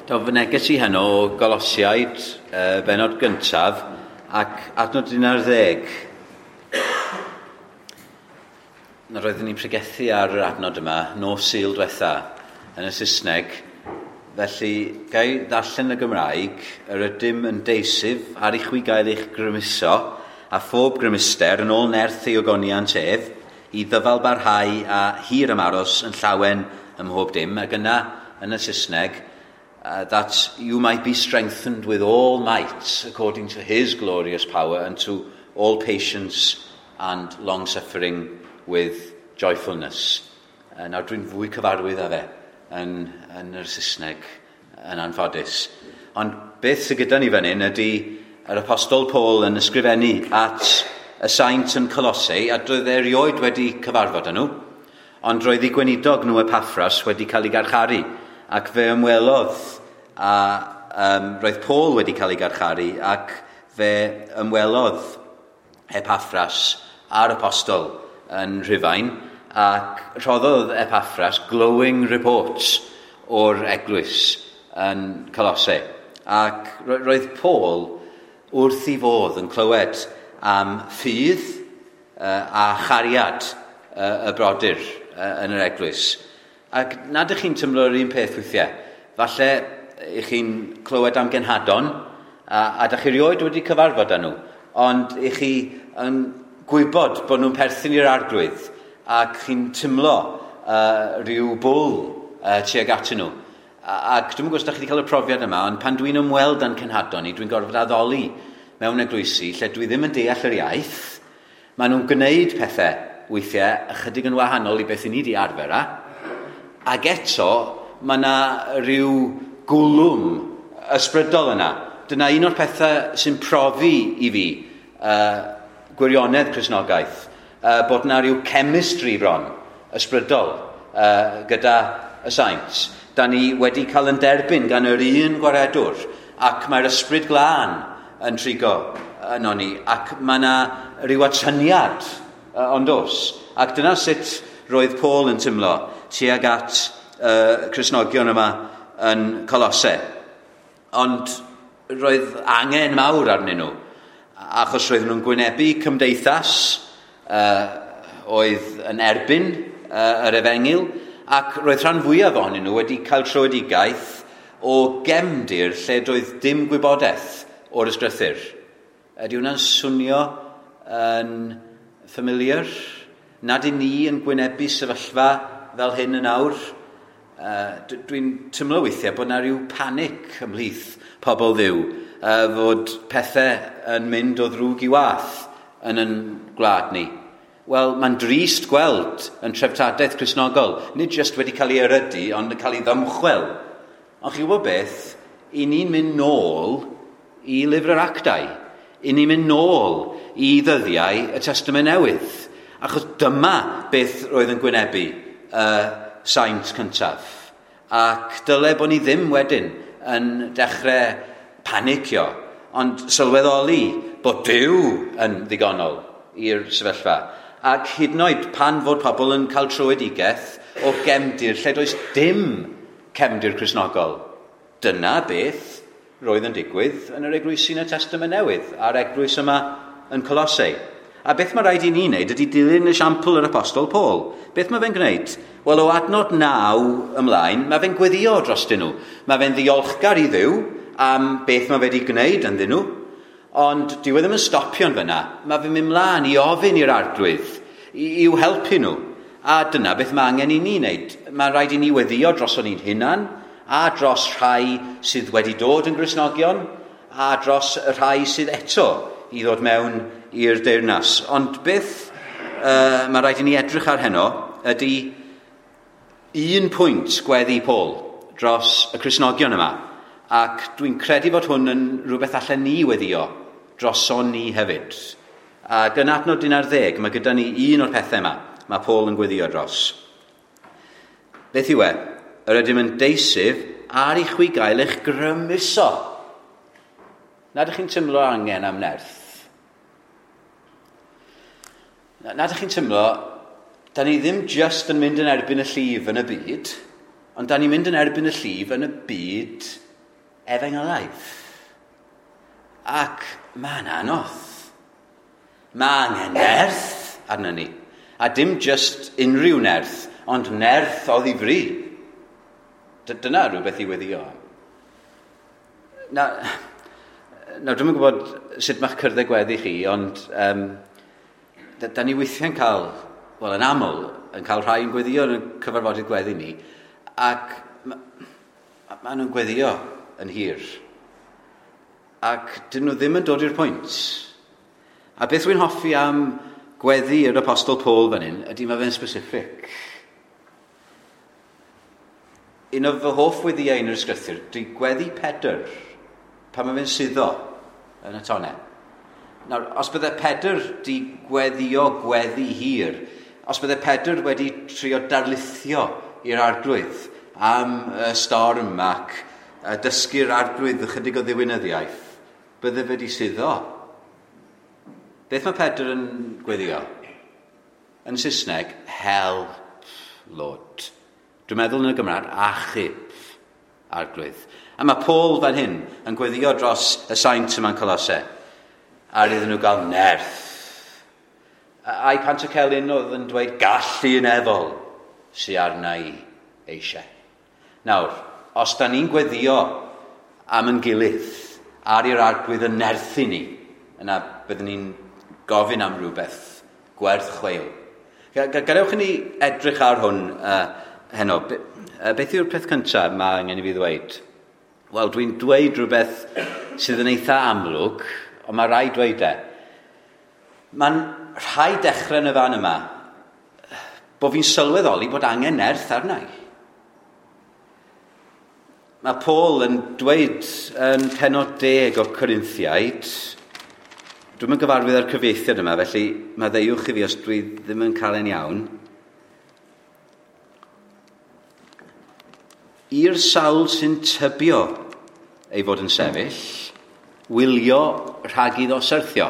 Do, fy neges i heno o Golosiaid, benod gyntaf, ac adnod 11. Nawr roeddwn ni'n pregethu ar yr adnod yma, nos Sul diwetha, yn y Saesneg. Felly, gai ddarllen y Gymraeg, yr ydym yn deisyf ar i chwi gael eich grymuso, a phob grymuster yn ôl nerth ei ogoniant ef, i ddyfal barhau a hir ymaros yn llawen ym mhob dim, ac yna yn y Saesneg, that you might be strengthened with all might according to his glorious power and to all patience and long-suffering with joyfulness. Nawr dwi'n fwy cyfarwydd â fe yn yr Saesneg yn anffodus. Ond beth sydd gyda ni fan hyn ydy yr Apostol Paul yn ysgrifennu at y saint yn Colossae, a doedd e erioed wedi cyfarfod â nhw, ond roedd ei gweinidog nhw Epaffras wedi cael ei garcharu, ac fe ymwelodd, a roedd Paul wedi cael ei garcharu, ac fe ymwelodd Epaffras a'r Apostol yn Rhufain, ac rhoddodd Epaffras glowing reports o'r eglwys yn Colossae. Ac roedd Paul wrth ei fodd yn clywed am ffydd a chariad y brodyr yn yr eglwys. Ac nad ych chi'n tymlo yr un peth weithiau. Falle ych chi'n clywed am genhadon, a dach chi erioed wedi cyfarfod â nhw, ond ych chi yn gwybod bod nhw'n perthyn i'r Arglwydd, ac chi'n tymlo rhyw bwl tuag atyn nhw. Ac dwi'm yn gwybod os dach chi wedi cael y profiad yma, ond pan dwi'n ymweld â'n cenhadon ni, dwi'n gorfod addoli mewn eglwysi lle dwi ddim yn deall yr iaith. Maen nhw'n gwneud pethau weithiau ychydig yn wahanol i beth i ni wedi arfer â. Ac eto, mae yna rhyw gwlwm ysbrydol yna. Dyna un o'r pethau sy'n profi i fi gwirionedd Cristnogaeth, bod yna rhyw chemistry bron ysbrydol gyda y saint. Da ni wedi cael yn derbyn gan yr un gwaredwr, ac mae'r ysbryd glân yn trigo yno ni, ac mae yna rhyw atyniad, ond oes. Ac dyna sut roedd Paul yn tymlo tuag at Cristnogion yma yn Colossae. Ond roedd angen mawr arnyn nhw, achos roedden nhw'n gwynebu cymdeithas oedd yn erbyn yr efengyl, ac roedd rhan fwyaf ohonyn nhw wedi cael tröedigaeth o gefndir lle doedd dim gwybodaeth o'r ysgrythur. Ydy hwnna'n swnio yn familiar? Nad i ni yn gwynebu sefyllfa fel hyn yn awr? Dwi'n tymlo weithiau bod yna rhyw panic ymhlith pobl Dduw, fod pethau yn mynd o ddrwg i wath yn ein gwlad ni. Wel, mae'n drist gweld yn treftadaeth Cristnogol, nid jyst wedi cael ei erydu, ond yn cael ei ddymchwel. Ond chi'n gwybod beth? I ni'n mynd nôl i lyfr yr Actau. I ni'n mynd nôl i ddyddiau y Testament Newydd. Achos dyma beth roedd yn gwynebu y saint cyntaf. Ac dyle bod ni ddim wedyn yn dechrau panicio, ond sylweddoli bod Duw yn ddigonol i'r sefyllfa. Ac hyd yn oed pan fod pobl yn cael tröedigaeth o gefndir lle does dim cefndir Cristnogol. Dyna beth roedd yn digwydd yn yr eglwysi yn y Testament Newydd, a'r eglwys yma yn Colossae. A beth mae rhaid i ni wneud ydy dilyn esiampl yr Apostol Paul. Beth mae fe'n gwneud? Wel, o adnod 9 ymlaen, mae fe'n gweddio drostyn nhw. Mae fe'n ddiolchgar i Dduw am beth mae fe wedi gwneud ynddyn nhw. Ond dyw e ddim yn stopio yn fyna. Mae fe'n mynd mlaen i ofyn i'r Arglwydd i'w helpu nhw. A dyna beth mae angen i ni wneud. Mae rhaid i ni weddio droson ni'n hunan, a dros rhai sydd wedi dod yn Gristnogion, a dros y rhai sydd eto i ddod mewn i'r deyrnas. Ond beth mae rhaid i ni edrych ar heno ydy un pwynt gweddi Paul dros y Cristnogion yma. Ac dwi'n credu fod hwn yn rhywbeth allan ni weddio droson ni hefyd. Ac yn adnod 11, mae gyda ni un o'r pethau yma mae Paul yn gweddio dros. Beth yw e? Yr ydym yn deisyf ar i chwi gael eich grymuso. Nad ydych chi'n tymlo angen am nerth? Nad ydych chi'n tymlo, da ni ddim just yn mynd yn erbyn y llif yn y byd, ond da ni'n mynd yn erbyn y llif yn y byd efengylaidd. Ac mae'n anodd. Mae angen nerth arno ni. A dim just unrhyw nerth, ond nerth o ddifri. Dyna rhywbeth i weddio am. Na, nawr, dwi'm yn gwybod sut mae'ch cyrddau gweddi chi, ond da ni weithiau'n cael, wel yn aml, yn cael rhai yn gweddio yn y cyfarfodydd gweddi ni, ac ma nhw'n gweddio yn hir. Ac dyn nhw ddim yn dod i'r pwynt. A beth wy'n hoffi am gweddi yr Apostol Paul fan hyn, ydy mae fe'n specific. Un o fy hoff weddiau yn yr ysgrythur, dwi gweddi Pedr, pan mae fe'n suddo yn y tonnau. Nawr, os bydde Pedr di gweddio gweddi hir, os bydde Pedr wedi trio darlithio i'r arglwydd am y storm ac dysgu'r arglwydd ychydig o ddiwinyddiaeth, bydde fe di suddo. Beth mae Pedr yn gweddio? Yn Saesneg, help, Lord. Dwi'n meddwl yn y Gymraeg, achub, arglwydd. A mae Paul fan hyn yn gweddio dros y saint yma'n Colose, ar iddyn nhw gael nerth. Ai Pantycelyn oedd yn dweud gallu nefol sy arna i eisiau. Nawr, os da ni'n gweddio am yn gilydd, ar i'r arglwydd yn nerthu ni, yna byddwn ni'n gofyn am rhywbeth gwerth chweil. Gadewch i ni edrych ar hwn heno. Beth yw'r peth cyntaf mae angen i fi ddweud? Wel, dwi'n dweud rhywbeth sydd yn eitha amlwg, ond mae rhaid dweud e. Mae'n rhaid dechrau yn y fan yma bod fi'n sylweddoli bod angen nerth arna i. Mae Paul yn dweud yn penod 10 o Corinthiaid, dwi'm yn gyfarwydd â'r cyfieithiad yma, felly maddeuwch i fi os dwi ddim yn cael e'n iawn. I'r sawl sy'n tybio ei fod yn sefyll, wylio rhag iddo syrthio.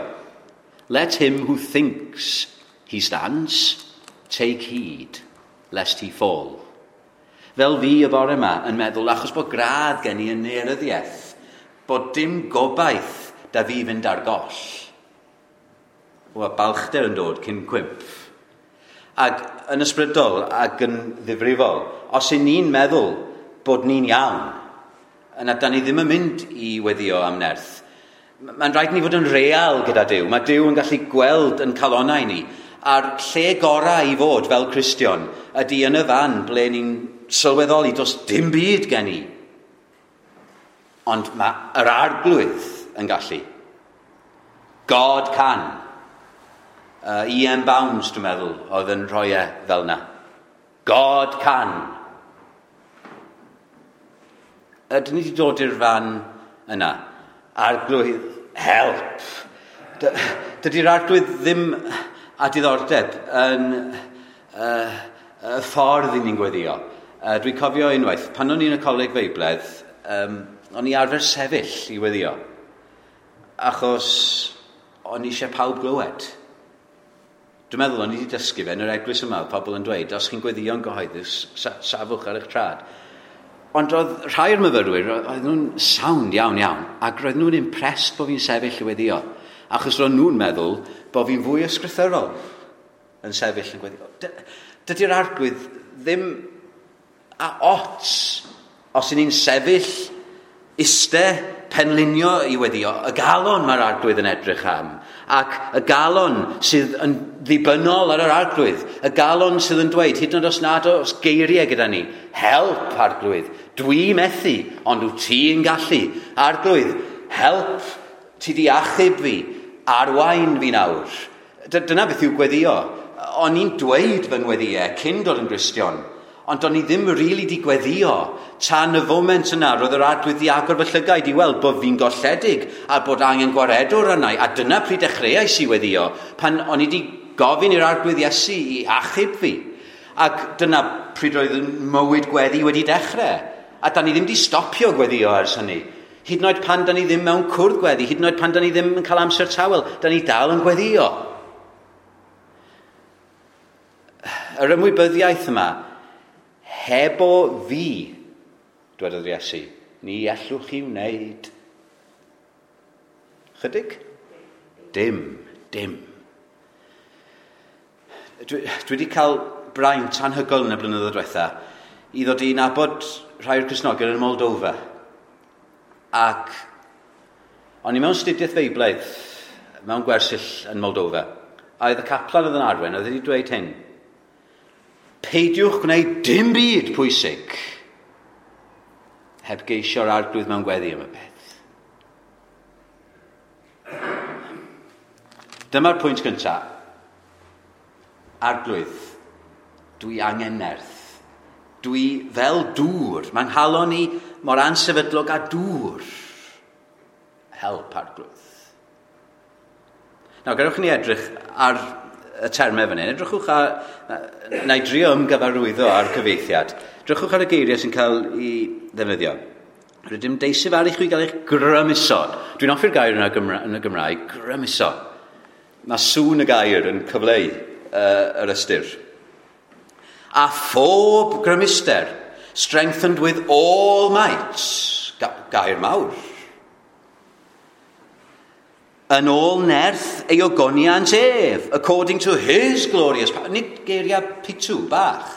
Let him who thinks he stands take heed, lest he fall. Fel fi y bore yma yn meddwl, achos bod gradd gen i yn daearyddiaeth, bod dim gobaith da fi fynd ar goll. Wel, balchder yn dod cyn cwymp. Ac yn ysbrydol ac yn ddifrifol, os y'n ni'n meddwl bod ni'n iawn, yna da ni ddim yn mynd i weddio am nerth. Mae'n rhaid ni fod yn real gyda Duw. Mae Duw yn gallu gweld yn calonnau ni. A'r lle gorau i fod fel Cristion ydy yn y fan ble ni'n sylweddoli does dim byd gen i. Ond mae yr arglwydd yn gallu. God can. E.M. Bounds, dwi'n meddwl, oedd yn rhoi e fel na. God can. Ydyn ni wedi dod i'r fan yna? Arglwydd, help. Dydy'r arglwydd ddim â diddordeb yn y ffordd i ni'n gweddio. Dwi'n cofio unwaith, pan o'n i'n y coleg Feibledd, o'n i arfer sefyll i weddio, achos o'n i eisiau pawb glywed. Dwi'n meddwl o'n i wedi dysgu fe yn yr eglwys yma, oedd pobl yn dweud, os chi'n gweddio'n gyhoeddus, safwch ar eich trad. Ond oedd rhai o'r myfyrwyr, oedd nhw'n sound iawn iawn, ac roedd nhw'n impressed bod fi'n sefyll i weddio, achos roedd nhw'n meddwl bod fi'n fwy ysgrythurol yn sefyll yn gweddio. Dydy'r arglwydd ddim a ots os y'n ni'n sefyll, iste, penlinio i weddio. Y galon mae'r arglwydd yn edrych am, ac y galon sydd yn ddibynnol ar yr arglwydd, y galon sydd yn dweud, hyd yn oed os nad oes geiriau gyda ni, help arglwydd, dwi methu, ond wyt ti'n gallu. Arglwydd, help, ti di achub fi, arwain fi nawr. Dyna beth yw gweddio. O'n i'n dweud fy ngweddiau cyn dod yn Gristion, ond o'n i ddim rili di gweddio tan y foment yna, roedd yr arglwydd di agor fy llygaid i weld bod fi'n golledig a bod angen gwaredwr arna i, a dyna pryd dechreuais i weddio, pan o'n i di gofyn i'r arglwydd Iesu i achub fi. Ac dyna pryd roedd yn mywyd gweddi wedi dechrau. A da ni ddim di stopio gweddio ers hynny. Hyd yn oed pan da ni ddim mewn cwrdd gweddi, hyd yn oed pan da ni ddim yn cael amser tawel, da ni dal yn gweddio. Yr ymwybyddiaeth yma, hebo fi, dwedodd Iesu, Ni ellwch chi wneud. Chydig? Dim, dim. Dwi wedi cael braint anhygoel yn y blynyddoedd diwetha i ddod i nabod rhai o'r Cristnogion yn Moldova. Ac o'n i mewn studiaeth Feiblaidd mewn gwersyll yn Moldova. A oedd y caplan oedd yn arwain, oedd wedi dweud hyn. Peidiwch gwneud dim byd pwysig heb geisio'r arglwydd mewn gweddi am y peth. Dyma'r pwynt gyntaf. Arglwydd, dwi angen nerth. Dwi fel dŵr. Mae'n nghalon i mor ansefydlog â dŵr. Help, arglwydd. Nawr, gadewch ni edrych ar y termau fan hyn. Edrychwch ar... Na i drio ymgyfarwyddo ar cyfeithiad. Edrychwch ar y geiriau sy'n cael ei ddefnyddio. Rydym deisyf ar i chwi gael eich grymuso. Dwi'n hoffi'r gair yna yn y Gymraeg, grymuso. Mae sŵn y gair yn cyfleu yr ystyr. A phob grymuster, strengthened with all might. Gair mawr. Yn ôl nerth ei ogoniant ef, according to his glorious power. Nid geiriau pitw bach.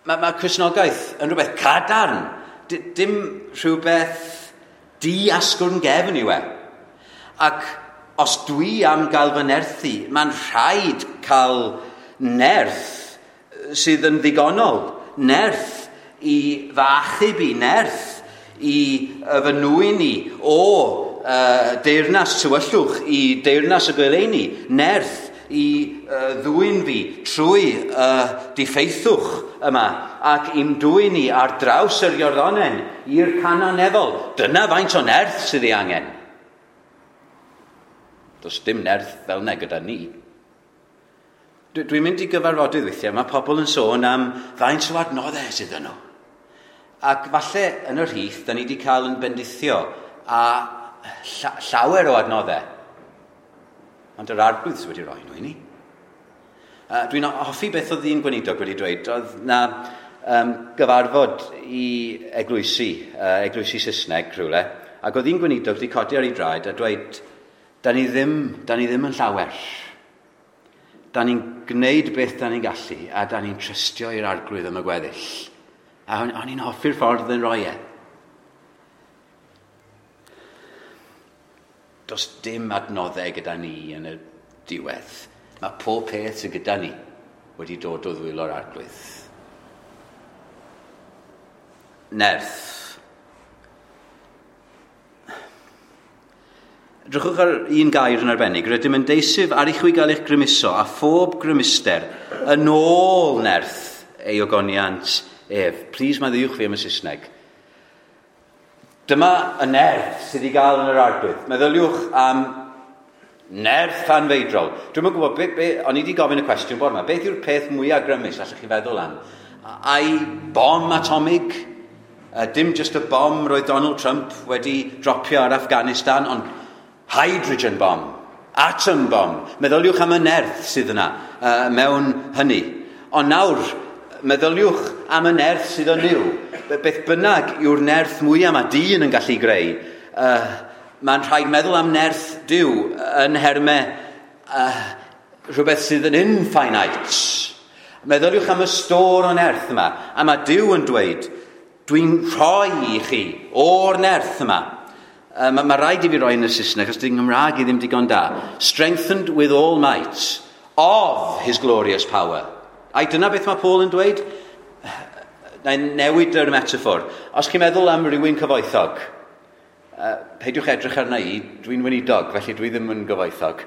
Mae Cristnogaeth yn rhywbeth cadarn. Dim rhywbeth di-asgwrn gefn yw e. Ac os dwi am gael fy nerthu, mae'n rhaid cael nerth sydd yn ddigonol. Nerth i fy achub i, nerth i fy nwyn i o deyrnas tywyllwch i deyrnas y goleuni, nerth i ddwyn fi trwy diffeithwch yma ac i'm dwyn i ar draws yr Iorddonen i'r Canaan nefol. Dyna faint o nerth sydd ei angen. Does dim nerth fel 'na gyda ni. Dwi'n mynd i gyfarfodydd weithiau, mae pobl yn sôn am faint o adnoddau sydd yno. Ac falle yn yr rhith, da ni wedi cael yn bendithio a llawer o adnoddau. Ond yr arglwydd sydd wedi rhoi nhw i ni. Dwi'n hoffi beth oedd un gweinidog wedi dweud. Oedd na gyfarfod i eglwysi, eglwysi Saesneg rhywle, ac oedd un gweinidog wedi codi ar ei draed a dweud, da ni ddim yn llawer. Da ni'n gwneud beth da ni'n gallu, a da ni'n trystio i'r arglwydd am y gweddill. A o'n i'n hoffi'r ffordd yn rhoi e. Does dim adnoddau gyda ni yn y diwedd. Mae pob peth sydd gyda ni wedi dod o ddwylo'r arglwydd. Nerth. Drychwch ar un gair yn arbennig. Rydym yn deisyf ar i chwi gael eich grymuso a phob grymuster yn ôl nerth ei ogoniant ef. Please maddeuwch fi am y Saesneg. Dyma y nerth sydd i gael yn yr arglwydd. Meddyliwch am nerth anfeidrol. Dwi'm yn gwybod, o'n i wedi gofyn y cwestiwn bore yma, beth yw'r peth mwyaf grymus allwch chi feddwl am? Ai bom atomig? Dim just y bom roedd Donald Trump wedi dropio ar Afghanistan, ond hydrogen bomb, atom bomb. Meddyliwch am y nerth sydd yna mewn hynny. Ond nawr, meddyliwch am y nerth sydd yn Nuw. Beth bynnag yw'r nerth mwyaf mae dyn yn gallu greu, mae'n rhaid meddwl am nerth Duw yn nhermau rhywbeth sydd yn infinite. Meddyliwch am y stôr o nerth yma. A mae Duw yn dweud, dwi'n rhoi i chi o'r nerth yma. Mae rhaid i fi roi yn y Saesneg, achos dy'n Nghymraeg i ddim digon da. Strengthened with all might of his glorious power. Ai dyna beth mae Paul yn dweud? Na i newid yr metaphor. Os chi'n meddwl am rywun cyfoethog, peidiwch edrych arna i, dwi'n weinidog, felly dwi ddim yn gyfoethog.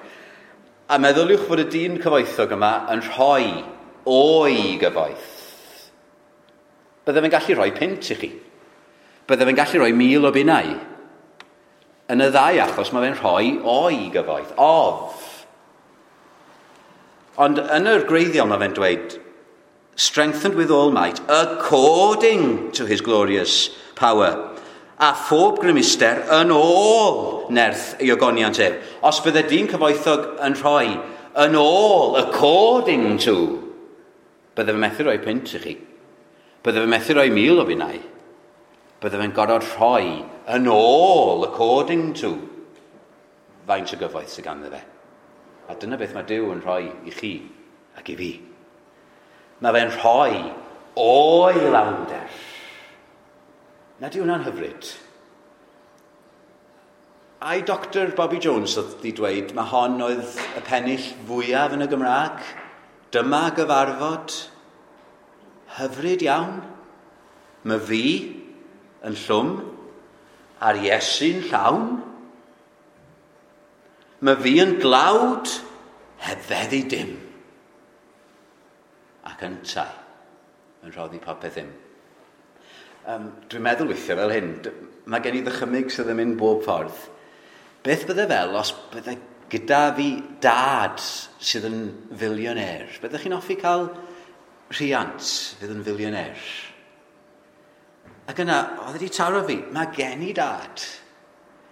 A meddyliwch fod y dyn cyfoethog yma yn rhoi o'i gyfoeth. Bydde fe'n gallu rhoi punt i chi. Bydde fe'n gallu rhoi 1,000 o bunnau. Yn y ddau achos mae fe'n rhoi o'i gyfoeth, of. Ond yn yr gwreiddiol mae fe'n dweud, strengthened with all might, according to his glorious power. A phob grymuster yn ôl nerth ei ogoniant ef. Os bydde dyn cyfoethog yn rhoi yn ôl, according to, bydde fe methu rhoi punt i chi. Bydde fe methu rhoi 1,000 o bunnau. Bydde fe'n gorfod rhoi yn ôl according to faint o gyfoeth sydd ganddo fe. A dyna beth mae Duw yn rhoi i chi ac i fi. Mae fe'n rhoi o'i lawnder. Na di hwnna'n hyfryd? Ai Dr Bobby Jones oedd wedi dweud mae hon oedd y pennill fwyaf yn y Gymraeg? Dyma gyfarfod hyfryd iawn. Mae fi yn llwm a'r Iesu'n llawn. Mae fi yn dlawd heb feddu dim. Ac yntau yn rhoddi popeth ddim. Dwi'n meddwl weithiau fel hyn, mae gen i ddychymyg sydd yn mynd bob ffordd. Beth bydde fel os bydde gyda fi dad sydd yn fillionaire? Byddech chi'n hoffi cael rhiant fydd yn fillionaire? Ac yna, oedd wedi taro fi, mae gen i dad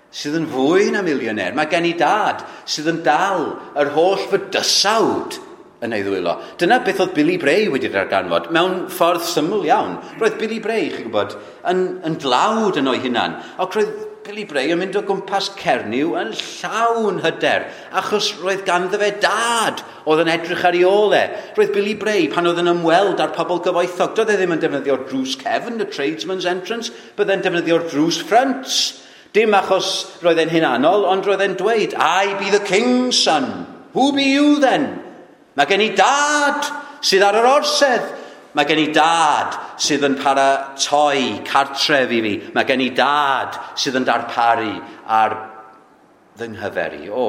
sydd yn fwy na millionaire. Mae gen i dad sydd yn dal yr holl fydysawd yn ei ddwylo. Dyna beth oedd Billy Bray wedi darganfod, mewn ffordd syml iawn. Roedd Billy Bray, chi'n gwybod, yn dlawd yn o'i hunan. Ac roedd Billy Bray yn mynd o gwmpas Cernyw yn llawn hyder, achos roedd ganddo fe dad oedd yn edrych ar ei ôl e. Roedd Billy Bray, pan oedd yn ymweld â'r pobl gyfoethog, doedd e ddim yn defnyddio'r drws cefn, the tradesman's entrance, byddai'n defnyddio'r drws front. Dim achos roedd e'n hunanol, ond roedd e'n dweud, "I be the king's son. Who be you then?" Mae gen i dad sydd ar yr orsedd. Mae gen i dad sydd yn paratoi cartref i fi. Mae gen i dad sydd yn darparu ar fy nghyfer i. O,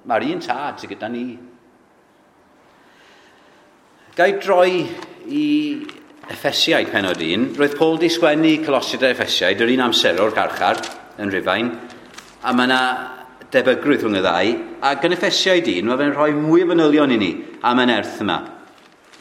mae'r un tad sydd gyda ni. Ga i droi i Effesiaid pennod 1. Roedd Paul di sgwennu Colosiaid a Effesiaid yr un amser o'r carchar yn Rhufain, a mae yna debygrwydd rhwng y ddau, ac yn Effesiaid 1, mae fe'n rhoi mwy o fanylion i ni am y nerth yma.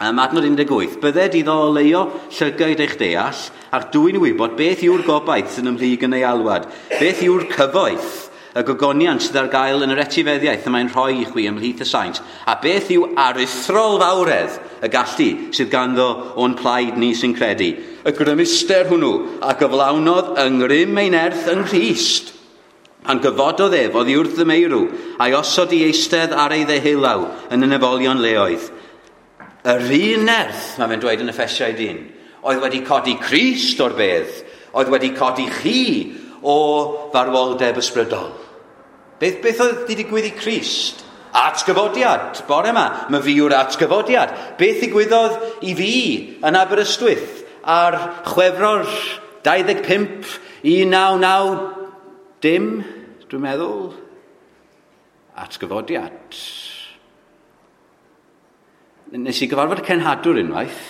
Am adnod 18, "Bydded iddo oleuo llygaid eich deall, ac dwyn i wybod beth yw'r gobaith sy'n ymhlyg yn ei alwad, beth yw'r cyfoeth, y gogoniant sydd ar gael yn yr etifeddiaeth y mae'n rhoi i chwi ymhlith y saint, a beth yw aruthrol fawredd y gallu sydd ganddo o'n plaid ni sy'n credu, y grymuster hwnnw a gyflawnodd yng ngrym ei nerth yng Nghrist, pan gyfododd ef oddi wrth y meirw, a'i osod i eistedd ar ei ddeheulaw yn y nefolion leoedd." Yr un nerth, mae fe'n dweud yn Effesiaid 1, oedd wedi codi Crist o'r bedd, oedd wedi codi chi o farwoldeb ysbrydol. Beth oedd wedi digwydd i Crist? Atgyfodiad, bore yma, mae fi yw'r atgyfodiad. Beth ddigwyddodd i fi yn Aberystwyth ar Chwefror 25 1990 dim, dwi'n meddwl? Atgyfodiad. Nes i gyfarfod y cenhadwr unwaith,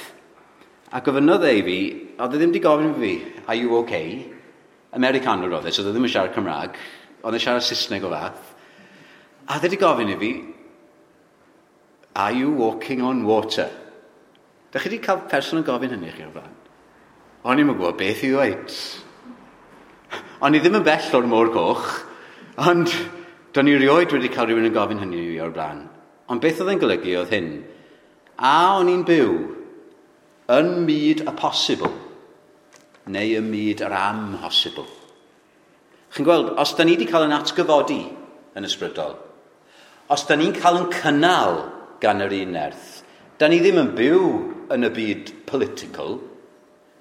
a gofynnodd e i fi, oedd e ddim wedi gofyn i fi, "Are you okay?" Americanwr oedd e, so oedd e ddim yn siarad Cymraeg, oedd e'n siarad Saesneg o fath. A oedd e wedi gofyn i fi, "Are you walking on water?" Da chi wedi cael person yn gofyn hynny chi o'r blaen? O'n i'm yn gwybod beth i ddweud. O'n i ddim yn bell o'r Môr Goch, ond do'n i rioed wedi cael rhywun yn gofyn hynny i fi o'r blaen. Ond beth oedd e'n golygu oedd hyn. A o'n i'n byw yn myd y posibl, neu ym myd yr amhosibl? Chi'n gweld, os da ni wedi cael yn atgyfodi yn ysbrydol, os da ni'n cael yn cynnal gan yr un nerth, da ni ddim yn byw yn y byd political.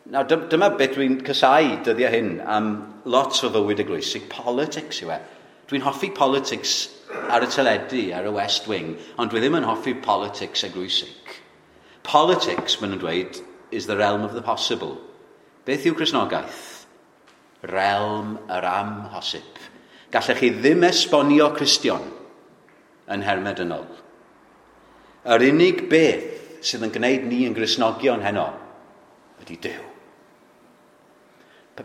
Nawr, dyma beth dwi'n casáu dyddiau hyn am lot o fywyd eglwysig, politics yw e. Dwi'n hoffi politics ar y teledu, ar y West Wing, ond dwi ddim yn hoffi politics eglwysig. Politics, maen nhw'n dweud, is the realm of the possible. Beth yw Cristnogaeth? Realm yr amhosib. Gallech chi ddim esbonio Cristion yn nhermau dynol. Yr unig beth sydd yn gwneud ni yn Gristnogion heno ydy Duw.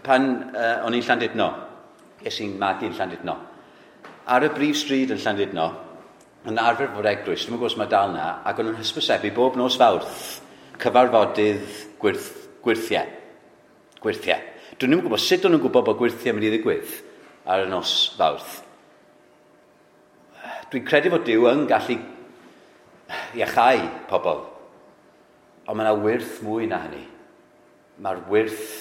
Pan o'n i'n Llandudno, es i'n magu yn Llandudno, ar y brif stryd yn Llandudno, yn arfer fod eglwys, dwi'n gwybod os mae dal na, ac o'n nhw'n hysbysebu bob nos Fawrth cyfarfodydd gwyrthiau. Gwyrthiau. Dwi'n ddim yn gwybod sut o'n nhw'n gwybod bod gwyrthiau mynd i ddigwydd ar y nos Fawrth. Dwi'n credu fod Duw yn gallu iachau pobl, ond mae yna wyrth mwy na hynny. Mae'r wyrth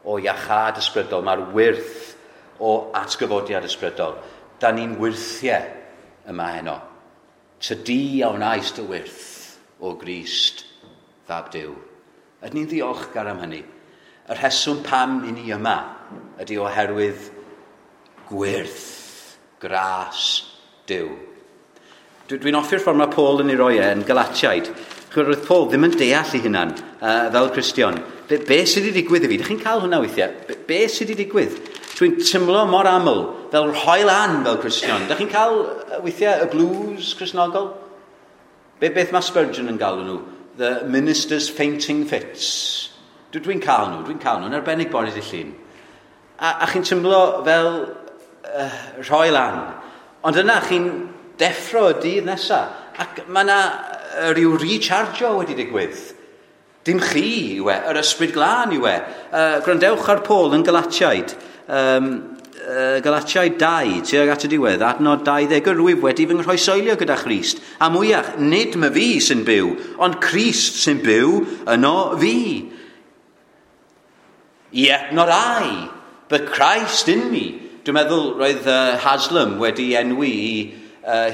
o iachâd ysbrydol, mae'r wyrth o atgyfodiad ysbrydol. Da ni'n wyrthiau yma heno. Tydi a wnaes dy wyrth o Grist, fab Duw. Ydyn ni'n ddiolchgar am hynny? Y rheswm pam i ni yma ydy oherwydd gwyrth, gras Duw. Dwi'n hoffi'r ffordd mae Paul yn ei roi e yn Galatiaid. Chwyd, roedd Paul ddim yn deall ei hunan fel Cristion. Be sydd wedi digwydd i fi? Dych chi'n cael hwnna weithiau? Be sydd wedi digwydd? Dwi'n teimlo mor aml fel rhoi lan fel Cristion. Dych chi'n cael weithiau y blues Cristnogol? Beth mae Spurgeon yn galw nhw? The minister's fainting fits. Dwi'n cael nhw, dwi'n cael nhw, yn arbennig bore dydd Llun. A chi'n teimlo fel rhoi lan. Ond yna chi'n deffro y dydd nesaf. Ac mae yna rhyw rechargio wedi digwydd. Dim chi yw e, yr Ysbryd Glân yw e. Gwrandewch ar Paul yn Galatiaid. Galatiaid 2, tuag at y diwedd, adnod 20, yr wyf wedi fy nghroeshoelio gyda Christ. A mwyach, nid my fi sy'n byw, ond Crist sy'n byw yno fi. Yet not I, but Christ in me. Dwi'n meddwl roedd Haslam wedi enwi i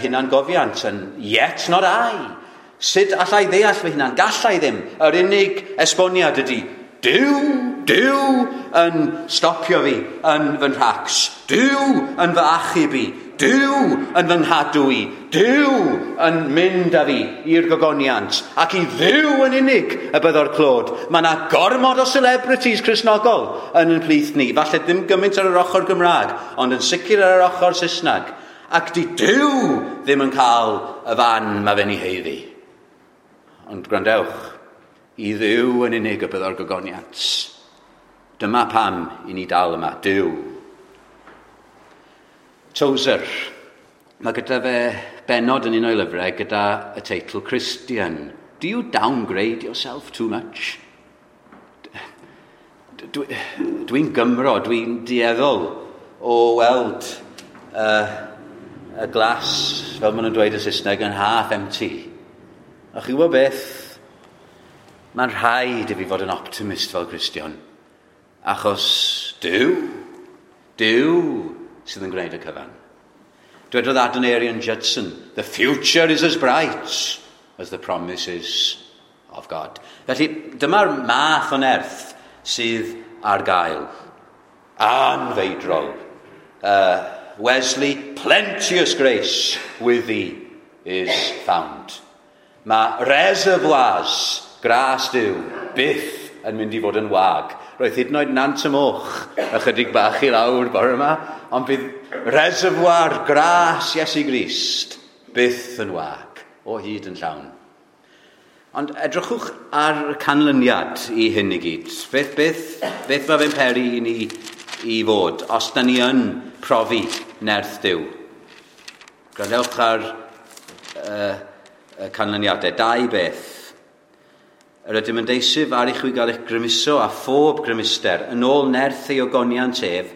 hunangofiant yn Yet not I. Sut allai ddeall fy hunan? Gallai ddim. Yr unig esboniad ydy, Duw, Duw yn stopio fi yn fy nhracs. Duw yn fy achub i. Duw yn fy nghadw i. Duw yn mynd â fi i'r gogoniant. Ac i Dduw yn unig y byddo'r clod. Mae yna gormod o celebrities Cristnogol yn ein plith ni. Falle ddim gymaint ar yr ochr Gymraeg, ond yn sicr ar yr ochr Saesneg. Ac di Duw ddim yn cael y fan mae fe'n ei haeddu. Ond gwrandewch, i Dduw yn unig y byddo'r gogoniant. Dyma pam i ni dal yma, Duw. Tozer. Mae gyda fe benod yn un o'i lyfrau gyda y teitl Christian. Do you downgrade yourself too much? Dwi'n Gymro, dwi'n dueddol o weld y glas, fel maen nhw'n dweud yn Saesneg, yn half empty. A chi'n gwybod beth? Mae'n rhaid i fi fod yn optimist fel Cristion. Achos Duw, Duw sydd yn gwneud y cyfan. Dwedodd Adoniram Judson, "The future is as bright as the promises of God." Felly, dyma'r math o nerth sydd ar gael. Anfeidrol. Wesley, "Plenteous grace with thee is found." Mae reservoirs gras Duw byth yn mynd i fod yn wag. Roedd hyd yn oed Nant y Moch ychydig bach i lawr bore yma, ond bydd reservoir gras Iesu Grist byth yn wag, o hyd yn llawn. Ond edrychwch ar y canlyniad i hyn i gyd. Beth mae fe'n peri i ni i fod, os da ni yn profi nerth Duw? Gwrandewch ar y canlyniadau. Dau beth. Yr ydym yn deisyf ar i chwi gael eich grymuso a phob grymuster yn ôl nerth ei ogoniant ef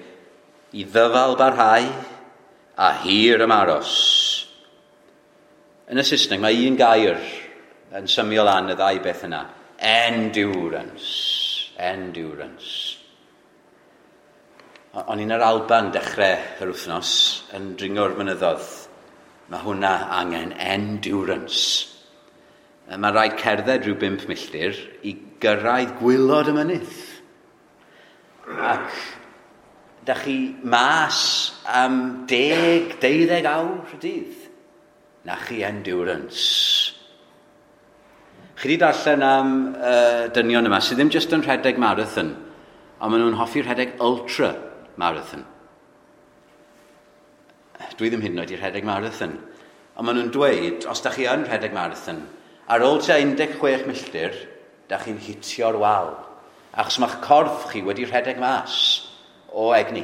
i ddyfal barhau a hir ymaros. Yn y Saesneg mae un gair yn symio lan y ddau beth yna. Endurance. Endurance. O'n i'n yr Alban dechrau yr wythnos yn dringo'r mynyddoedd. Mae hwnna angen endurance. Mae rhaid cerdded rhyw 5 milltir i gyrraedd gwaelod y mynydd. Ac da chi mas am 10, 12 awr y dydd. Na chi endurance. Chi wedi darllen am dynion yma sydd ddim jyst yn rhedeg marathon, ond maen nhw'n hoffi rhedeg ultra marathon. Dwi ddim hyd yn oed i rhedeg marathon. Ond maen nhw'n dweud, os da chi yn rhedeg marathon, ar ôl tua 16 milltir, da chi'n hitio'r wal. Achos mae'ch corff chi wedi rhedeg mas o egni.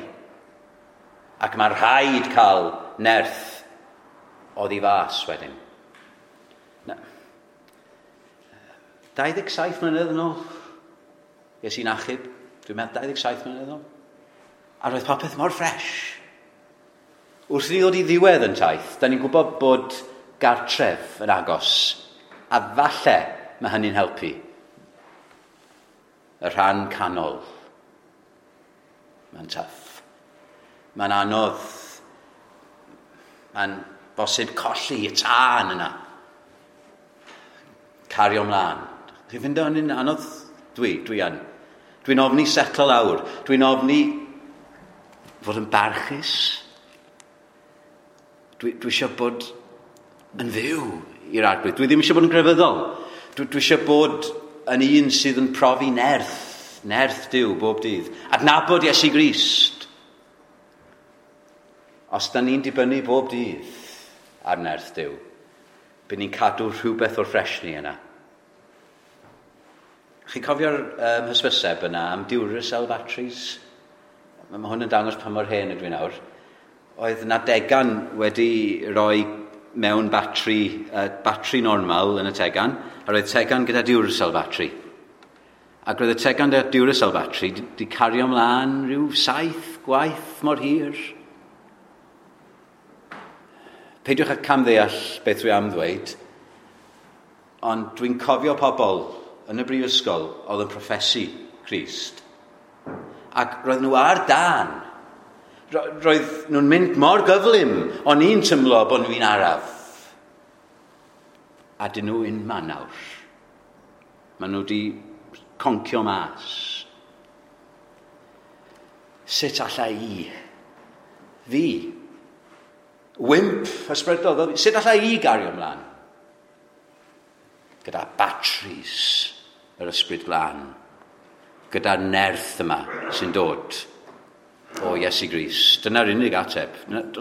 Ac mae'n rhaid cael nerth oddi fas wedyn. Na. 27 mlynedd yn ôl, ges i'n achub, dwi'n meddwl 27 mlynedd yn ôl. A roedd popeth mor ffres. Wrth i ni ddod i ddiwedd yn taith, da ni'n gwybod bod gartref yn agos. A falle mae hynny'n helpu. Y rhan canol. Mae'n tough. Mae'n anodd. Mae'n bosib colli y tân yna. Cario mlaen. Chi'n ffindo hynny'n anodd? Dwi yn. Dwi'n ofni setlo lawr. Dwi'n ofni fod yn barchus. Dwi eisiau bod yn fyw i'r Arglwydd. Dwi ddim eisiau bod yn grefyddol. Dwi eisiau bod yn un sydd yn profi nerth Duw bob dydd. Adnabod Iesu Grist. Os da ni'n dibynnu bob dydd ar nerth Duw, bydd ni'n cadw rhywbeth o'r ffresni yna. Chi'n cofio'r hysbyseb yna am Duracell batteries? Mae hwn yn dangos pa mor hen ydw i nawr. Oedd na degan wedi rhoi mewn batri normal yn y tegan, a roedd tegan gyda Duracell battery. Ac roedd y tegan gyda Duracell battery di cario ymlaen rhyw 7 gwaith mor hir. Peidiwch â camddeall beth dwi am ddweud, ond dwi'n cofio pobl yn y brifysgol oedd yn proffesu Crist. Ac roedd nhw ar dân. Roedd nhw'n mynd mor gyflym, o'n i'n tymlo bod nhw'n araf. A dyn nhw unman nawr. Maen nhw wedi concio mas. Sut alla i? Fi? Wimp ysbrydol. Sut alla i gario ymlaen? Gyda batteries yr Ysbryd Glân. Gyda'r nerth yma sy'n dod o Iesu Grist. Dyna'r unig ateb.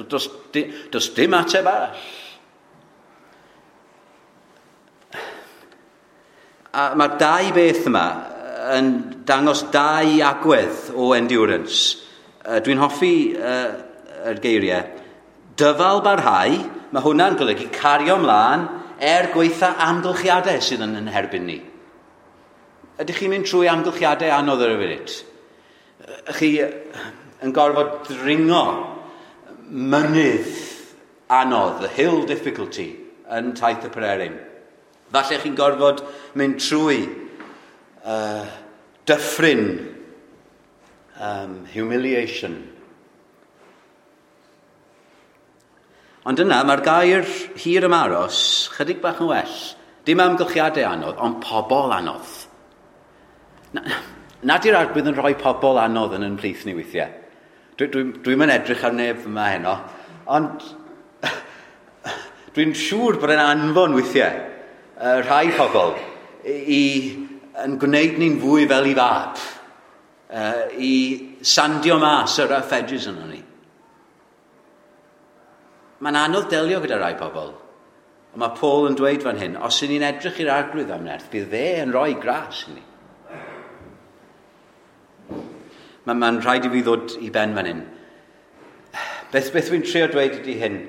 Does dim ateb arall. A mae'r dau beth yma yn dangos dau agwedd o endurance. Dwi'n hoffi yr geiriau. Dyfal barhau, mae hwnna'n golygu cario ymlaen gweitha amgylchiadau sydd yn herbyn ni. Ydych chi'n mynd trwy amgylchiadau anodd ar y funud? Chi yn gorfod dringo mynydd anodd, the hill difficulty, yn taith y Pererin. Falle chi'n gorfod mynd trwy dyffryn, humiliation. Ond yna, mae'r gair hir ymaros chydig bach yn well. Dim amgylchiadau anodd, ond pobl anodd. Nad yw'r Arglwydd yn rhoi pobl anodd yn plith ni weithiau. Dwi'm yn edrych ar neb yma heno, ond dwi'n siŵr bod e'n anfon weithiau rhai pobl i yn gwneud ni'n fwy fel i fab, i sandio mas yr rough edges yno ni. Mae'n anodd delio gyda rai pobl. Ond mae Paul yn dweud fan hyn, os ydyn ni'n edrych i'r Arglwydd am nerth, bydd fe yn rhoi gras i ni. Mae'n rhaid i fi ddod i ben fan hyn. Beth dwi'n trio dweud ydy hyn?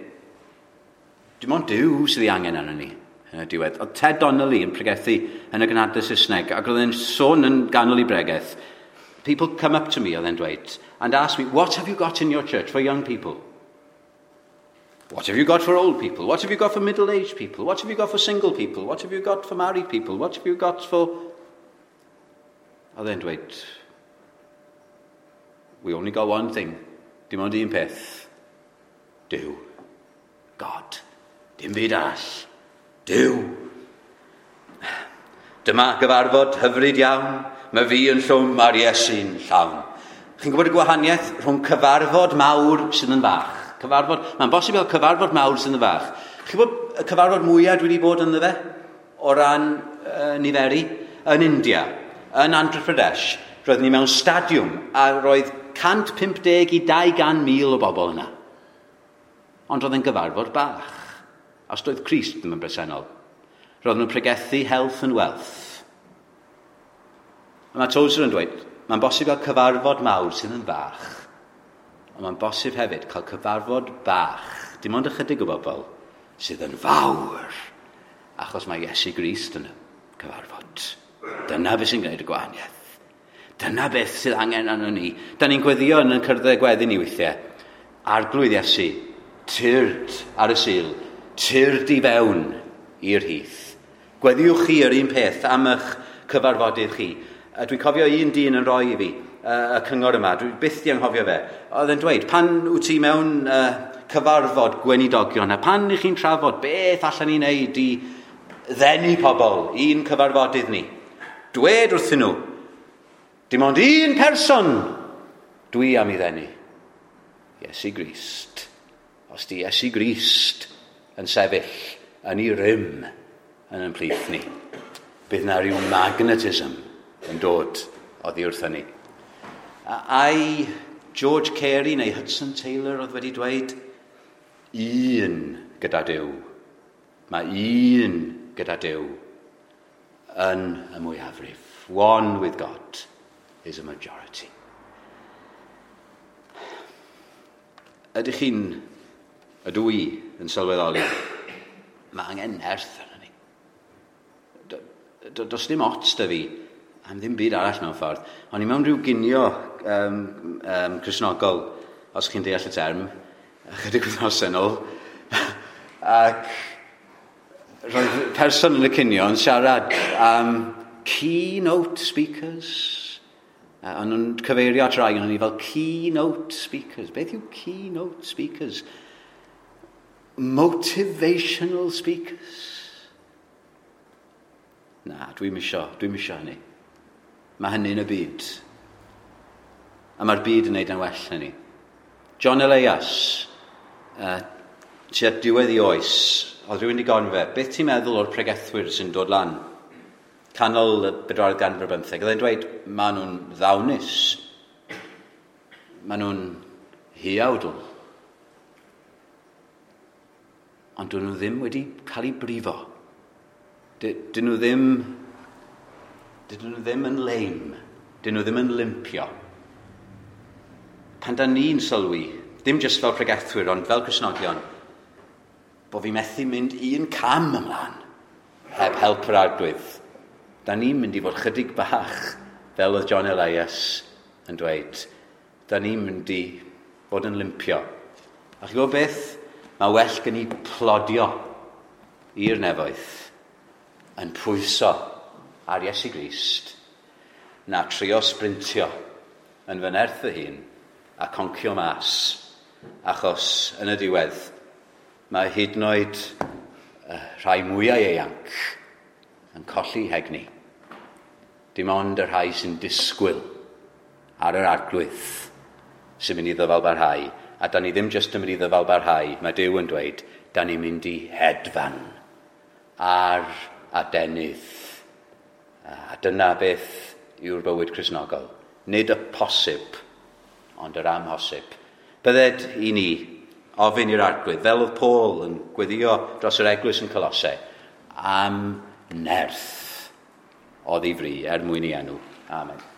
Dim ond Duw sydd ei angen arno ni yn y diwedd. Oedd Ted Donnelly yn pregethu yn y gynhadledd Saesneg, ac oedd e'n sôn yn ganol i bregeth. People come up to me, oedd e'n dweud, and ask me, what have you got in your church for young people? What have you got for old people? What have you got for middle-aged people? What have you got for single people? What have you got for married people? What have you got for... Oedd e'n dweud, we only got one thing. Dim ond un peth. Duw. God. Dim byd arall. Duw. Dyma gyfarfod hyfryd iawn. Mae fi yn llwm a'r Iesu'n llawn. Chi'n gwybod y gwahaniaeth rhwng cyfarfod mawr sydd yn fach? Cyfarfod, mae'n bosib cael cyfarfod mawr sydd yn fach. Chi'n gwybod y cyfarfod mwyaf dwi wedi bod ynddo fe? O ran niferu? Yn India, yn Andhra Pradesh, roedd ni mewn stadiwm a roedd 150 i 200,000 o bobl yna. Ond roedd yn gyfarfod bach. Os doedd Crist ddim yn bresennol. Roedd nhw'n pregethu health and wealth. A mae Tozer yn dweud, mae'n bosib cael cyfarfod mawr sydd yn fach. Ond mae'n bosib hefyd cael cyfarfod bach, dim ond ychydig o bobl, sydd yn fawr. Achos mae Iesu Grist yn y cyfarfod. Dyna beth sy'n gwneud y gwahaniaeth. Dyna beth sydd angen arno ni. Da ni'n gweddio yn y cyrddau gweddi ni weithiau. Arglwydd Iesu, tyrd ar y Sul, tyrd i fewn i'r hyth. Gweddiwch chi yr un peth am eich cyfarfodydd chi. A dwi'n cofio un dyn yn rhoi i fi y cyngor yma, dwi byth di anghofio fe. Oedd e'n dweud, pan wyt ti mewn cyfarfod gweinidogion, a pan i chi'n trafod beth allan ni wneud i ddenu pobl i'n cyfarfodydd ni, dwed wrthyn nhw, dim ond un person dwi am i ddenu. Iesu Grist. Os di Iesu Grist yn sefyll yn ei rym yn ein plith ni, bydd na rhyw magnetism yn dod oddi wrth hynny. Ai George Carey neu Hudson Taylor oedd wedi dweud, un gyda Duw. Mae un gyda Duw yn y mwyafrif. One with God is a majority. Ydych chi'n, ydw i yn sylweddoli, mae angen nerth arno ni. Does dim ots da fi am ddim byd arall mewn ffordd. O'n i mewn rhyw ginio Cristnogol, os chi'n deall y term, ychydig wythnosau yn ôl, ac roedd person yn y cinio yn siarad am keynote speakers. A nhw'n cyfeirio at rai o'n ni fel keynote speakers. Beth yw keynote speakers? Motivational speakers. Na, dwi'm isio hynny. Mae hynny yn y byd. A mae'r byd yn neud yn well na ni. John Elias, tua diwedd ei oes, oedd rhywun wedi gofyn fe, beth ti'n meddwl o'r pregethwyr sy'n dod lan? Canol y bedwaredd ganrif ar bymtheg. Oedd e'n dweud, maen nhw'n ddawnus. Maen nhw'n huawdl. Ond dyn nhw ddim wedi cael eu brifo. Dyn nhw ddim yn leim. Dyn nhw ddim yn limpio. Pan da ni'n sylwi, ddim jyst fel pregethwyr, ond fel Cristnogion, bo fi methu mynd un cam ymlaen heb help yr Arglwydd. Da ni'n mynd i fod chydig bach, fel oedd John Elias yn dweud. Da ni'n mynd i fod yn limpio. A chi'n gwybod beth? Mae well gen i plodio i'r nefoedd yn pwyso ar Iesu Grist na trio sprintio yn fy nerth fy hun a concio mas, achos yn y diwedd mae hyd yn oed rhai mwyau ieuanc yn colli hegni. Dim ond y rhai sy'n disgwyl ar yr Arglwydd sy'n mynd i ddyfalbarhau. A da ni ddim jyst yn mynd i ddyfalbarhau, mae Duw yn dweud, da ni'n mynd i hedfan ar adenydd. A dyna beth yw'r bywyd Cristnogol. Nid y posib, ond yr amhosib. Bydded i ni ofyn i'r Arglwydd, fel oedd Paul yn gweddio dros yr eglwys yn Colossae, am nerth oddi fri er mwyn ei enw. Amen.